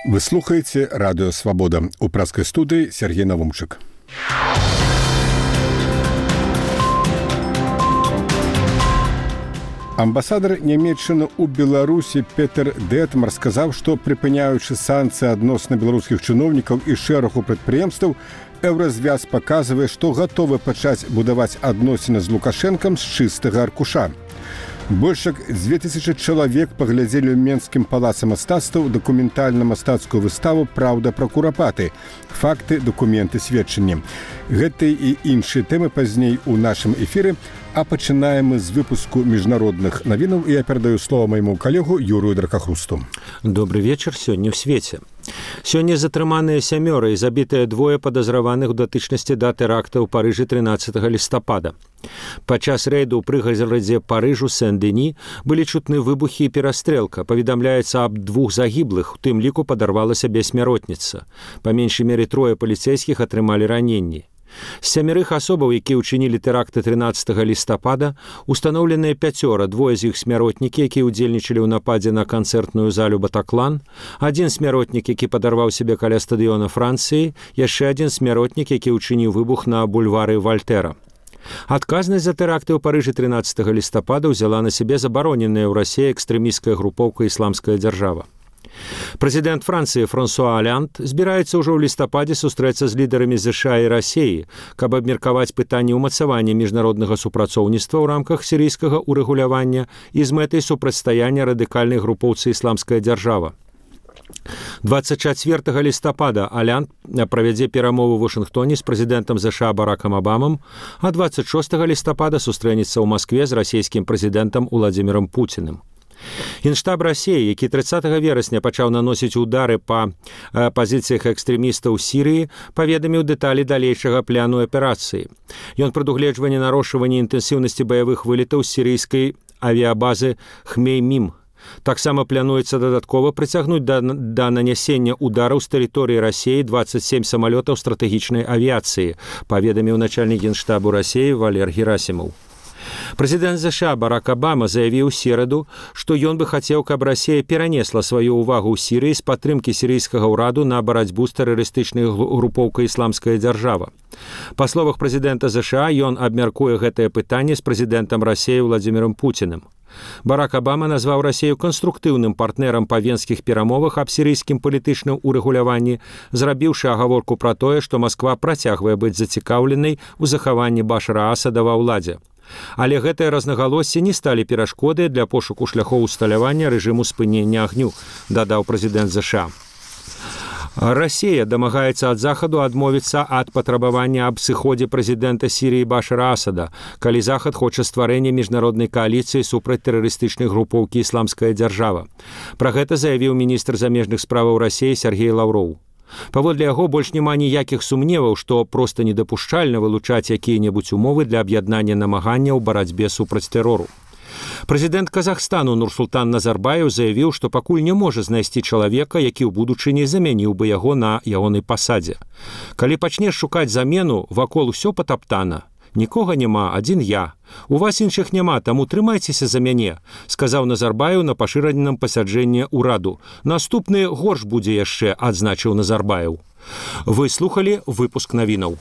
Вы слухаеце радыё «Свабода». У праскай студыі Сергей Навумчык. Амбасадар Нямецчыны ў Беларусі Петер Детмар сказаў, што прыпыняючы санкцыі адносна беларускіх чыноўнікаў і шэрагу прадпрыемстваў, Еўразвяз паказвае, што гатовы пачаць будаваць адносіны з Лукашэнкам з чыстага аркуша. Больш як 2000 чалавек паглядзелі ў Менскім палацы мастацтваў дакументальна-мастацкую выставу «Праўда пра курапаты. Факты, дакументы, сведчанні». Гэтыя і іншыя тэмы пазней у нашым эфіры, а пачынаем мы з выпуску міжнародных навінаў, і я перадаю слова майму калегу Юрыю Дракахрусту. Добрый вечар сёння ў свеце. Сёння затрыманыя 7 і забітыя 2 падазраваных у датычнасці да тэракта ў Парыжы 13 лістапада. Падчас рэйду ў прыгарадзе Парыжу Сен-Дені былі чутны выбухі і перастрэлка. Паведамляецца аб 2 загіблых, у тым ліку падарвала сябе смяротніца. Па меншай меры 3 паліцэйскіх атрымалі раненні. З 7 асобаў, якія ўчынілі тэракты 13 лістапада, устаноўленыя 5, 2 з іх смяротнікі, якія ўдзельнічалі ў нападзе на канцэртную залю «Батаклан», 1 смяротнік, які падарваў сябе каля стадыёна Францыі, яшчэ 1 смяротнік, які ўчыніў выбух на бульвары Вальтэра. Адказнасць за тэракты ў Парыжы 13 лістапада ўзяла на сябе забароненая ў Расіі экстрэмісцкая групоўка «Ісламская дзяржава». Прэзідэнт Францыі Франсуа Аланд збіраецца ўжо ў лістападзе сустрэцца з лідарамі ЗША і Расіі, каб абмеркаваць пытанне ўмацавання міжнароднага супрацоўніцтва ў рамках сірыйскага ўрэгулявання і з мэтай супрацьстаяння радыкальнай групоўцы «Ісламская дзяржава». 24 лістапада Аланд правядзе перамовы ў Вашынгтоне з прэзідэнтам ЗША Баракам Абамам, а 26 лістапада сустрэнецца ў Маскве з расійскім прэзідэнтам Уладзімірам Пуціным. Генштаб Расіі, які 30 верасня пачаў наносіць удары па пазіцыях экстрэмістаў у Сірыі, паведаміў дэталі далейшага пляну аперацыі. Ён прадугледжвае нарошчванне інтэнсіўнасці баявых вылетаў з сірыйскай авіябазы Хмеймім. Таксама плануецца дадаткова прыцягнуць да нанясення удараў з тэрыторыі Расіі 27 самалётаў стратэгічнай авіяцыі, паведаміў начальнік генштабу Расіі Валер Герасімаў. Прэзідэнт ЗША Барак Абама заявіў у сераду, што ён бы хацеў, каб Расія перанесла сваю ўвагу ў Сірыі з падтрымкі сірыйскага ўраду на барацьбу з тэрарыстычнай групоўкай «Ісламская дзяржава». Па словах прэзідэнта ЗША, ён абмяркуе гэтае пытанне з прэзідэнтам Расіі Уладзімірам Пуціным. Барак Абама назваў Расію канструктыўным партнерам па венскіх перамовах аб сірыйскім палітычным урэгуляванні, зрабіўшы агаворку пра тое, што Масква працягвае быць зацікаўленай у захаванні Башара Асада ва ўладзе. Але гэтыя рознагалоссі не сталі перашкодай для пошуку шляхоў усталявання рэжыму спынення агню, дадаў прэзідэнт ЗША. Расія дамагаецца ад Захаду адмовіцца ад патрабавання аб сыходзе прэзідэнта Сірыі Башара Асада, калі Захад хоча стварэння міжнароднай кааліцыі супраць тэрарыстычнай групоўкі «Ісламская дзяржава». Пра гэта заявіў міністр замежных справаў Расіі Сергей Лаўроў. Паводле яго больш няма ніякіх сумневаў, што проста недапушчальна вылучаць якія-небудзь умовы для аб'яднання намагання ў барацьбе супраць тэрору. Прэзідэнт Казахстану Нурсултан Назарбаев заявіў, што пакуль не можа знайсці чалавека, які ў будучыні замяніў бы яго на ягонай пасадзе. Калі пачнеш шукаць замену, вакол усё патаптана. Нікога няма, адзін я. У вас іншых няма, таму трымайцеся за мяне, сказаў Назарбаев на пашыраненым пасяджэнні ўраду. Наступны горш будзе яшчэ, адзначыў Назарбаев. Вы слухалі выпуск навінаў.